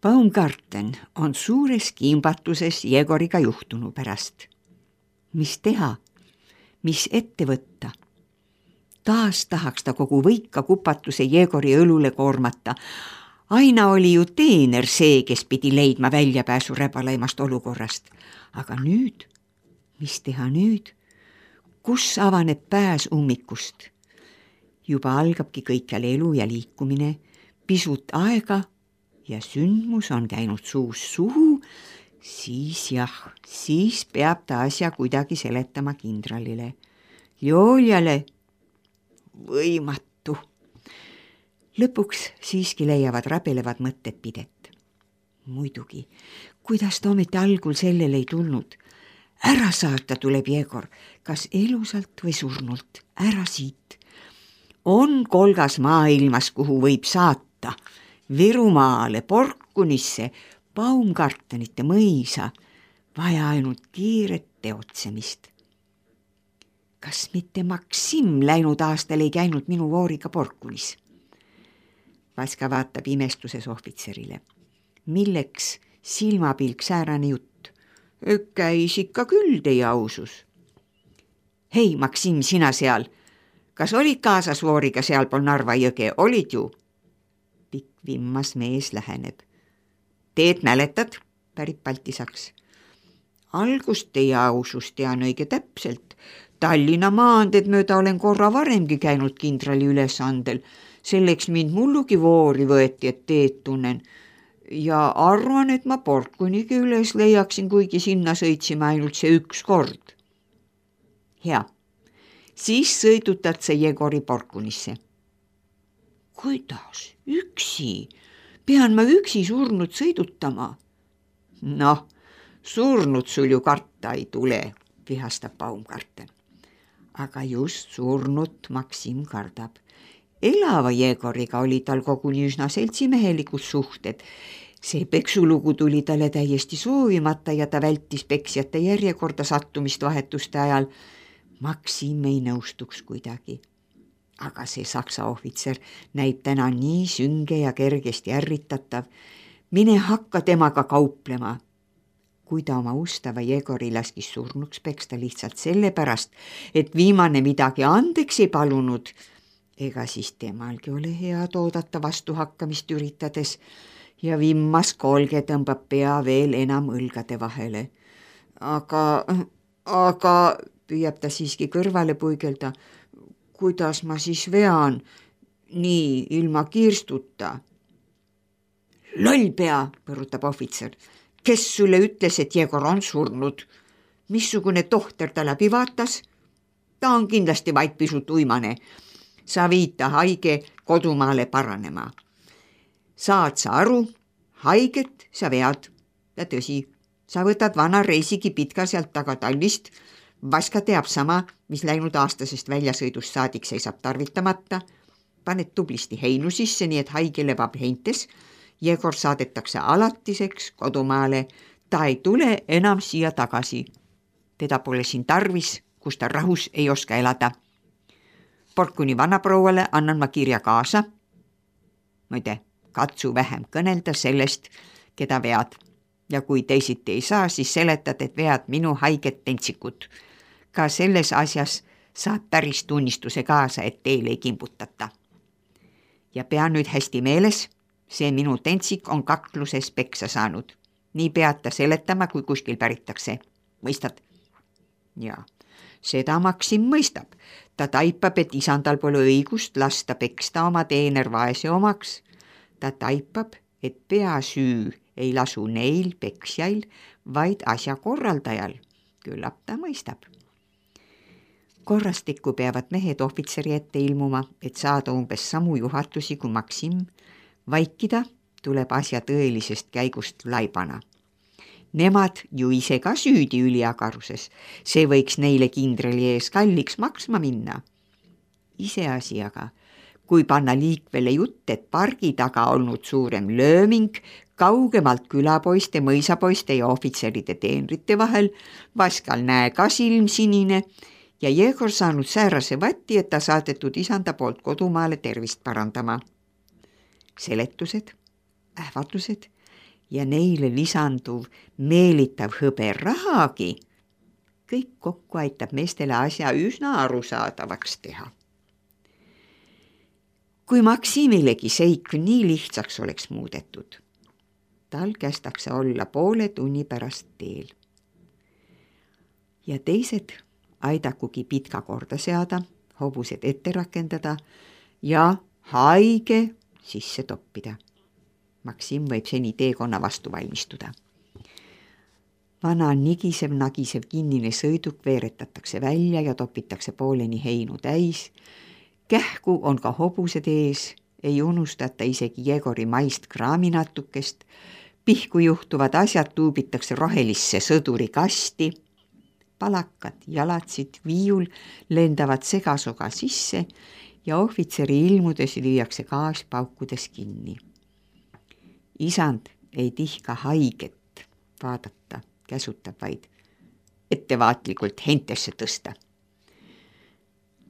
Baumgarten on suures kimbatuses Jegoriga juhtunu pärast. Mis teha? Mis ette võtta? Taas tahaks ta kogu võika kupatuse Jegori õlule koormata. Aina oli ju teener see, kes pidi leidma väljapääsu räbalaimast olukorrast. Aga nüüd? Mis teha nüüd? Kus avaneb pääs ummikust? Juba algabki kõikjal elu ja liikumine, pisut aega ja sündmus on käinud suust suhu, siis peab ta asja kuidagi seletama kindralile. Joljale võimatu. Lõpuks siiski leiavad rabelevad mõtted pidet. Muidugi, kuidas ta ometi algul sellele ei tulnud? Ära saata tuleb Jegor, kas elusalt või surnult, ära siit. On kolgas maailmas, kuhu võib saata. Virumaale, Porkunisse, Baumgartenite mõisa, vaja ainult kiiret teotsemist. Kas mitte Maksim läinud aastal ei käinud minu vooriga Porkunis? Vaska vaatab imestuses ohvitserile. Milleks silmapilk säärane jutt? Käis ikka küll teie ausus. Hei, Maksim, sina seal. Kas olid kaasas vooriga sealpool Narva jõge? Olid ju? Pikk vimmas mees läheneb. Teed mäletad? Pärib Baltisaks. Algust teie ausust tean õige täpselt. Tallinna maanteed mööda olen korra varemgi käinud kindrali ülesandel. Selleks mind mullugi voori võeti, et teed tunnen. Ja arvan, et ma Porkunigi üles leiaksin, kuigi sinna sõitsime ainult see üks kord. Hea, siis sõidutad sa Jegori Porkunisse. Kuidas? Üksi? Pean ma üksi surnud sõidutama? Noh, surnud sul ju karta ei tule, vihastab Baumgarten. Aga just surnut Maksim kardab. Elava Jegoriga oli tal koguni üsna seltsimehelikud suhted. See peksulugu tuli talle täiesti soovimata ja ta vältis peksjate järjekorda sattumist vahetuste ajal. Maksim ei nõustuks kuidagi. Aga see saksa ohvitser näib täna nii sünge ja kergesti ärritatav. Mine hakka temaga kauplema. Kui ta oma ustava Jegori laskis surnuks peksta lihtsalt sellepärast, et viimane midagi andeks ei palunud, ega siis temalgi ole head oodata vastuhakkamist üritades ja vimmas kolge tõmbab pea veel enam õlgade vahele. Aga püüab ta siiski kõrvale puigelda. Kuidas ma siis vean? Nii, ilma kirstuta. Lollpea, põrutab ohvitser. Kes sulle ütles, et Jegor on surnud? Missugune tohter ta läbi vaatas? Ta on kindlasti vaid pisut uimane. Sa viid ta haige kodumaale paranema. Saad sa aru, haiget sa vead. Ja tõsi, sa võtad vana reisigi pitka sealt taga tallist. Vaska teab sama, mis läinud aastasest väljasõidust saadik seisab tarvitamata. Paned tublisti heinu sisse, nii et haige lebab heintes. Jegor saadetakse alatiseks kodumaale. Ta ei tule enam siia tagasi. Teda pole siin tarvis, kus ta rahus ei oska elada. Porkuni vanaprouale annan ma kirja kaasa. Muide, katsu vähem kõnelda sellest, keda vead. Ja kui teisiti ei saa, siis seletad, et vead minu haiget tentsikut. Ka selles asjas saad päris tunnistuse kaasa, et teile ei kimbutata. Ja pea nüüd hästi meeles, see minu tentsik on kakluses peksa saanud. Nii pead ta seletama, kui kuskil päritakse. Mõistad? Jaa. Seda Maksim mõistab. Ta taipab, et isandal pole õigust lasta peksta oma teener vaese omaks. Ta taipab, et peasüü ei lasu neil peksjail, vaid asja korraldajal. Küllap ta mõistab. Korrastikku peavad mehed ohvitseri ette ilmuma, et saada umbes samu juhatusi kui Maksim. Vaikida tuleb asja tõelisest käigust laibana. Nemad ju ise ka süüdi üliagaruses. See võiks neile kindrali ees kalliks maksma minna. Iseasi aga, kui panna liikvele jutt, et pargi taga olnud suurem lööming kaugemalt külapoiste, mõisapoiste ja ohvitseride teenrite vahel, Vaskal näe ka silm sinine ja Jegor saanud säärase vatti, et ta saadetud isanda poolt kodumaale tervist parandama. Seletused, ähvardused ja neile lisanduv meelitav hõberahagi, kõik kokku aitab meestele asja üsna arusaadavaks teha. Kui Maksimilegi seik nii lihtsaks oleks muudetud, tal kästakse olla poole tunni pärast teel. Ja teised aidakugi pitka korda seada, hobused ette rakendada ja haige sisse toppida. Maksim võib seni teekonna vastu valmistuda. Vana nigisev-nagisev kinnine sõiduk veeretatakse välja ja topitakse pooleni heinu täis. Kähku on ka hobused ees, ei unustata isegi Jegori maist kraaminatukest, pihku juhtuvad asjad tuubitakse rohelisse sõdurikasti, palakad, jalatsid, viiul lendavad segasoga sisse ja ohvitseri ilmudes lüüakse gaas paukudes kinni. Isand ei tihka haiget vaadata, käsutab vaid ettevaatlikult hentesse tõsta.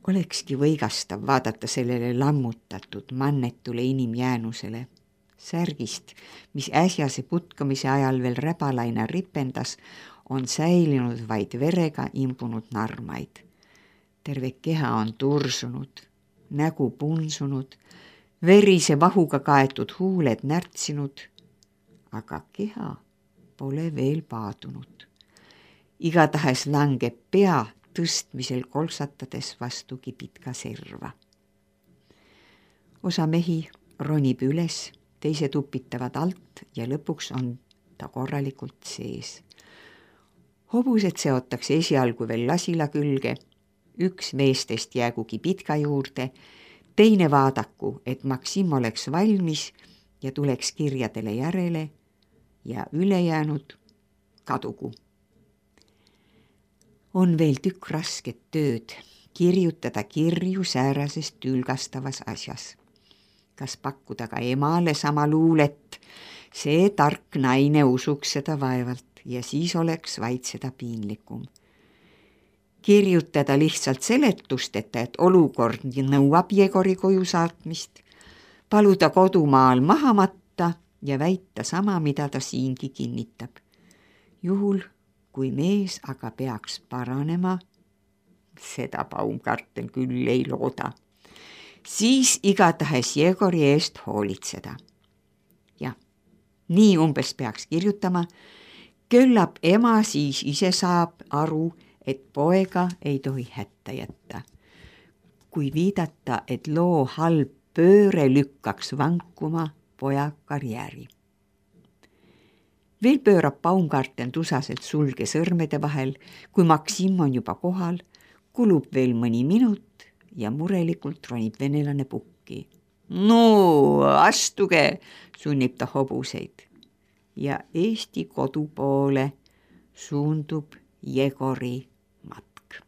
Olekski võigastav vaadata sellele lammutatud mannetule inimjäänusele, särgist, mis äsjase putkamise ajal veel räbalaina ripendas, on säilinud vaid verega imbunud narmaid. Terve keha on tursunud, nägu punsunud, verise vahuga kaetud huuled närtsinud, aga keha pole veel paadunud. Igatahes langeb pea tõstmisel kolksatades vastugi pitka serva. Osa mehi ronib üles, teised upitavad alt ja lõpuks on ta korralikult sees. Hobused seotakse esialgu veel lasila külge, üks meestest jäägugi pitka juurde, teine vaadaku, et Maksim oleks valmis ja tuleks kirjadele järele ja ülejäänud kadugu. On veel tükk rasket tööd kirjutada kirju säärasest tülgastavas asjas. Kas pakkuda ka emale sama luulet, see tark naine usuks seda vaevalt ja siis oleks vaid seda piinlikum. Kirjutada lihtsalt seletusteta, et olukord nõuab Jegori koju saatmist, paluda kodumaal maha matta ja väita sama, mida ta siingi kinnitab. Juhul, kui mees aga peaks paranema, seda Baumgarten küll ei looda, siis igatahes Jegori eest hoolitseda. Ja nii umbes peaks kirjutama, küllap ema siis ise saab aru, et poega ei tohi hätta jätta. Kui viidata, et loo halb pööre lükkaks vankuma poja karjääri. Veel pöörab Baumgarten tusaselt sulge sõrmede vahel, kui Maksim on juba kohal, kulub veel mõni minut ja murelikult ronib venelane pukki. No, astuge, sunnib ta hobuseid. Ja Eesti kodu poole suundub Jegori matk.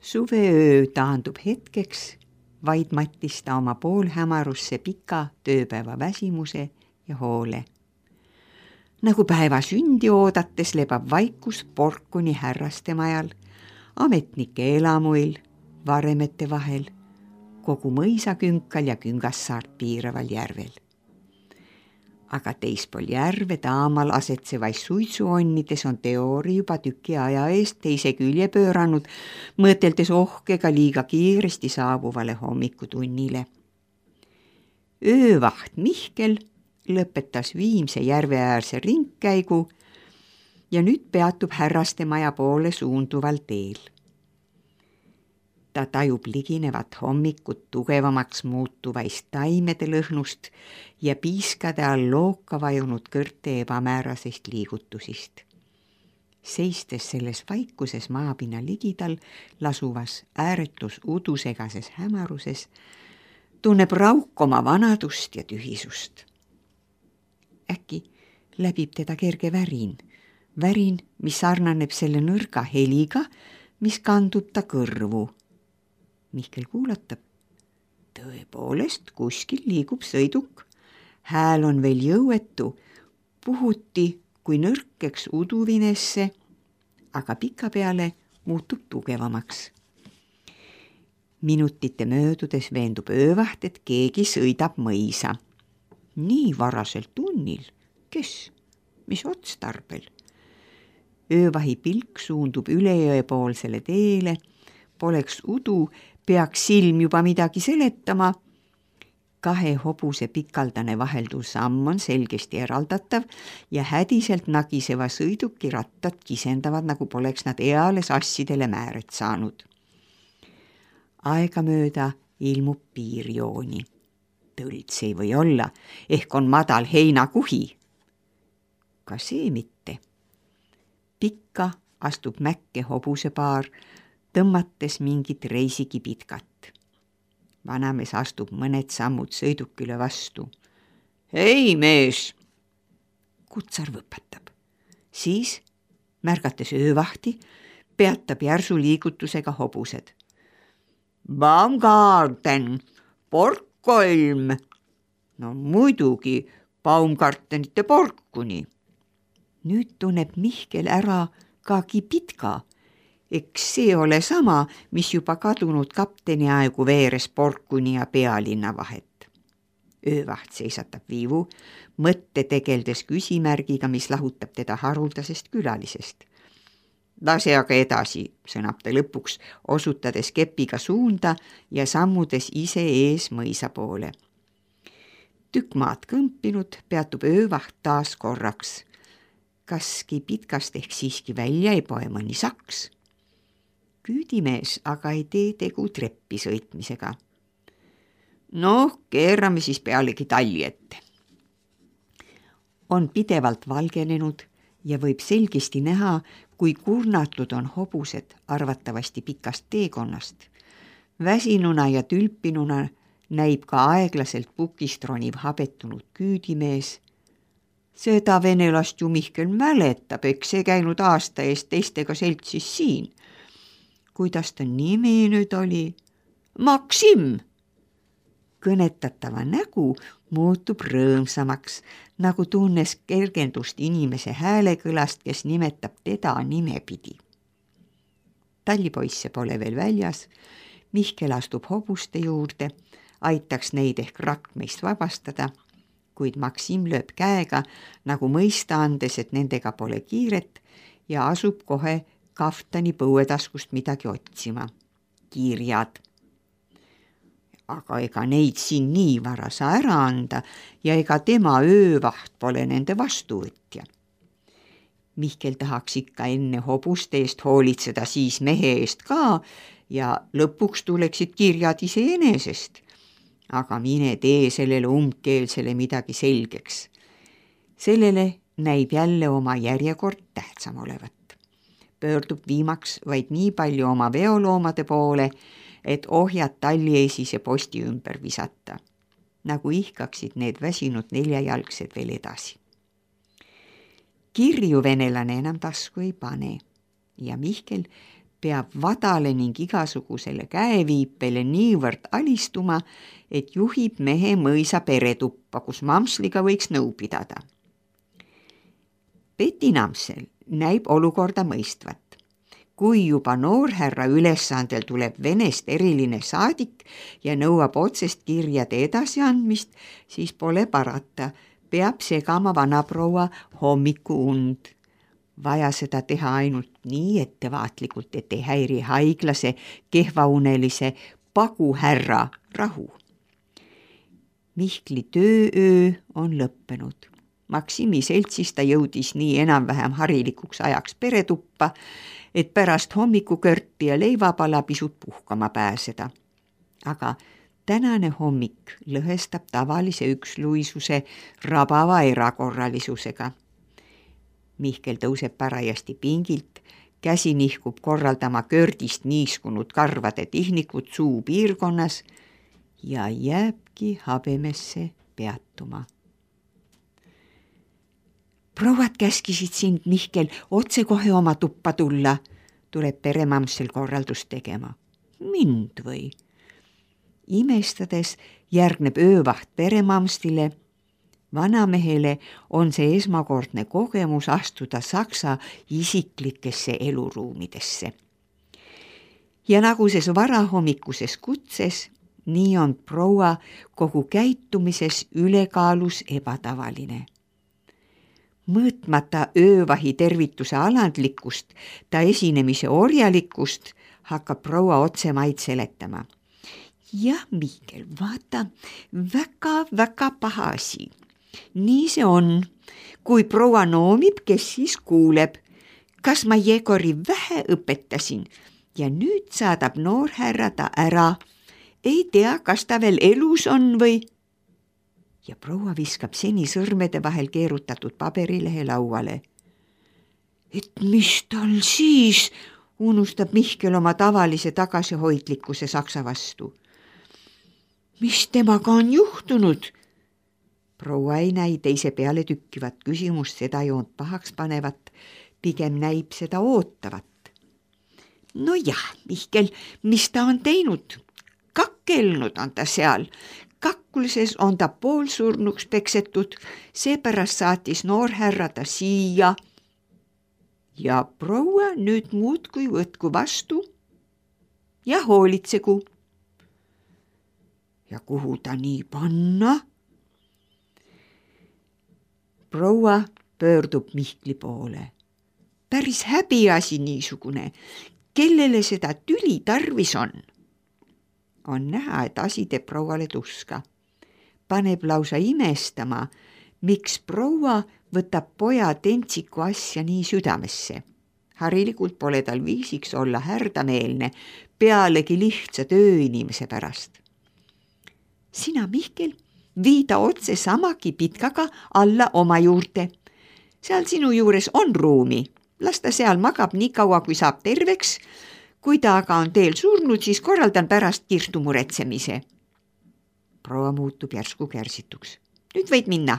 Suveöö taandub hetkeks, vaid mattis ta oma poolhämarusse pika tööpäeva väsimuse ja hoole. Nagu päeva sündi oodates lebab vaikus Porkuni härraste majal, ametnike elamuil, varemete vahel, kogu mõisakünkal ja Küngassaart piiraval järvel. Aga teispool järve taamal asetsevais suitsuonnides on Teori juba tüki aja eest teise külje pööranud, mõteldes ohkega liiga kiiresti saabuvale hommikutunnile. Öövaht Mihkel lõpetas viimse järveäärse ringkäigu ja nüüd peatub härraste maja poole suunduval teel. Ta tajub liginevat hommikut tugevamaks muutuvaist taimede lõhnust ja piiskade all looka vajunud kõrte ebamäärasest liigutusist. Seistes selles vaikuses maapinna ligidal lasuvas ääretus udusegases hämaruses, tunneb Rauk oma vanadust ja tühisust. Äkki läbib teda kerge värin, mis sarnaneb selle nõrga heliga, mis kandub ta kõrvu. Mihkel kuulatab. Tõepoolest, kuskil liigub sõiduk. Hääl on veel jõuetu, puhuti kui nõrkeks uduvinesse, aga pika peale muutub tugevamaks. Minutite möödudes veendub öövaht, et keegi sõidab mõisa. Nii varasel tunnil, kes, mis otstarbel? Öövahi pilk suundub üle jõe poolsele teele, poleks udu, peaks silm juba midagi seletama. 2 hobuse pikaldane vahelduv samm on selgesti eraldatav ja hädiselt nagiseva sõiduki rattad kisendavad, nagu poleks nad eales assidele määret saanud. Aegamööda ilmub piirjooni. Tõlts ei või olla, ehk on madal heinakuhi. Ka see mitte. Pikka astub mäkke hobusepaar, tõmmates mingit reisikipitkat. Vanamees astub mõned sammud sõidukile vastu. Hei, mees! Kutsar võpatab. Siis, märgates öövahti, peatab järsu liigutusega hobused. Baumgarten, Porkkolm. No muidugi Baumgartenite Porkuni. Nüüd tunneb Mihkel ära ka Kipitka. Eks see ole sama, mis juba kadunud kapteni aegu veeres Porkuni ja pealinna vahet. Öövaht seisatab viivu, mõtte tegeldes küsimärgiga, mis lahutab teda haruldasest külalisest. Lase aga edasi, sõnab ta lõpuks, osutades kepiga suunda ja sammudes ise ees mõisa poole. Tükk maad kõmpinud peatub öövaht taas korraks. Kas Kipitkast ehk siiski välja ei poe mõni saks? Küüdimees aga ei tee tegu treppi sõitmisega. Noh, keerame siis pealegi talli ette. On pidevalt valgenenud ja võib selgesti näha, kui kurnatud on hobused arvatavasti pikast teekonnast. Väsinuna ja tülpinuna näib ka aeglaselt pukist roniv habetunud küüdimees. Seda venelast ju Mihkel mäletab, eks see käinud aasta eest teistega seltsis siin. Kuidas ta nimi nüüd oli? Maksim! Kõnetatava nägu muutub rõõmsamaks, nagu tunnes kergendust inimese häälekõlast, kes nimetab teda nimepidi. Tallipoisse pole veel väljas, Mihkel astub hobuste juurde, aitaks neid ehk rakmeist vabastada, kuid Maksim lööb käega, nagu mõista andes, et nendega pole kiiret ja asub kohe kaftani põuetaskust midagi otsima. Kirjad. Aga ega neid siin nii vara saa ära anda ja ega tema öövaht pole nende vastuvõtja. Mihkel tahaks ikka enne hobuste eest hoolitseda, siis mehe eest ka ja lõpuks tuleksid kirjad iseenesest. Aga mine tee sellele umbkeelsele midagi selgeks. Sellele näib jälle oma järjekord tähtsam olevat. Pöördub viimaks vaid nii palju oma veoloomade poole, et ohjad talliesise posti ümber visata, nagu ihkaksid need väsinud 4-jalgsed veel edasi. Kirju venelane enam tasku ei pane ja Mihkel peab vadale ning igasugusele käeviipele niivõrd alistuma, et juhib mehe mõisa peretuppa, kus Mamsliga võiks nõu pidada. Peti Namsel näib olukorda mõistvat. Kui juba noorhärra ülesandel tuleb Venest eriline saadik ja nõuab otsest kirjade edasiandmist, siis pole parata, peab segama vanaproua hommikuund. Vaja seda teha ainult nii ettevaatlikult, et ei häiri haiglase, kehvaunelise paguhärra rahu. Mihkli töööö on lõppenud. Maksimi seltsis ta jõudis nii enam-vähem harilikuks ajaks peretuppa, et pärast hommikukörti ja leivapala pisut puhkama pääseda. Aga tänane hommik lõhestab tavalise üksluisuse rabava erakorralisusega. Mihkel tõuseb parajasti pingilt, käsi nihkub korraldama kördist niiskunud karvade tihnikut suu piirkonnas ja jääbki habemesse peatuma. Prouad käskisid sind, Mihkel, otsekohe oma tuppa tulla, tuleb peremamsel korraldust tegema. Mind või? Imestades järgneb öövaht peremamstile. Vanamehele on see esmakordne kogemus astuda Saksa isiklikesse eluruumidesse. Ja nagu ses varahommikuses kutses, nii on proua kogu käitumises ülekaalus ebatavaline. Mõõtmata öövahi tervituse alandlikkust, ta esinemise orjalikkust hakkab proua otse maid seletama. Jah, Mihkel, vaata, väga paha asi. Nii see on. Kui proua noomib, kes siis kuuleb. Kas ma Jegori vähe õpetasin ja nüüd saadab noorhärra ta ära. Ei tea, kas ta veel elus on või? Ja proua viskab seni sõrmede vahel keerutatud paberilehe lauale. Et mis tal siis, unustab Mihkel oma tavalise tagasihoidlikkuse saksa vastu. Mis temaga on juhtunud? Proua ei näi teise peale tükkivat küsimust seda joont pahaks panevat, pigem näib seda ootavat. No jah, Mihkel, mis ta on teinud? Kakkelnud on ta seal. Kakkulises on ta poolsurnuks peksetud, seepärast saatis noorhärra ta siia. Ja proua nüüd muudkui võtku vastu ja hoolitsegu. Ja kuhu ta nii panna? Proua pöördub Mihkli poole. Päris häbiasi niisugune, kellele seda tüli tarvis on. On näha, et asi teeb prouale tuska. Paneb lausa imestama, miks proua võtab poja tentsiku asja nii südamesse. Harilikult pole tal viisiks olla härdameelne, pealegi lihtsa tööinimese pärast. Sina, Mihkel, viida otse samagi pitkaga alla oma juurde. Seal sinu juures on ruumi. Las ta seal magab nii kaua, kui saab terveks. Kui ta aga on teel surnud, siis korraldan pärast kirstu muretsemise. Proua muutub järsku kärsituks. Nüüd võid minna.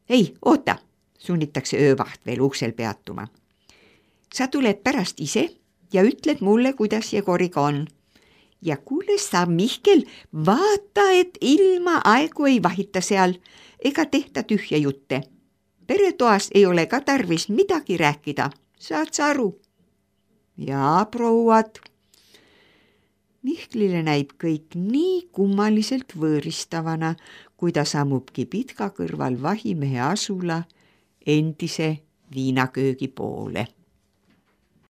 Ei, oota, sunnitakse öövaht veel uksel peatuma. Sa tuled pärast ise ja ütled mulle, kuidas Jegoriga on. Ja kuule sa, Mihkel, vaata, et ilma aegu ei vahita seal ega tehta tühja jutte. Peretoas ei ole ka tarvis midagi rääkida, saad sa aru? Jaa, prouad. Mihklile näib kõik nii kummaliselt võõristavana, kui ta sammubki pitka kõrval vahimehe asula endise viinaköögi poole.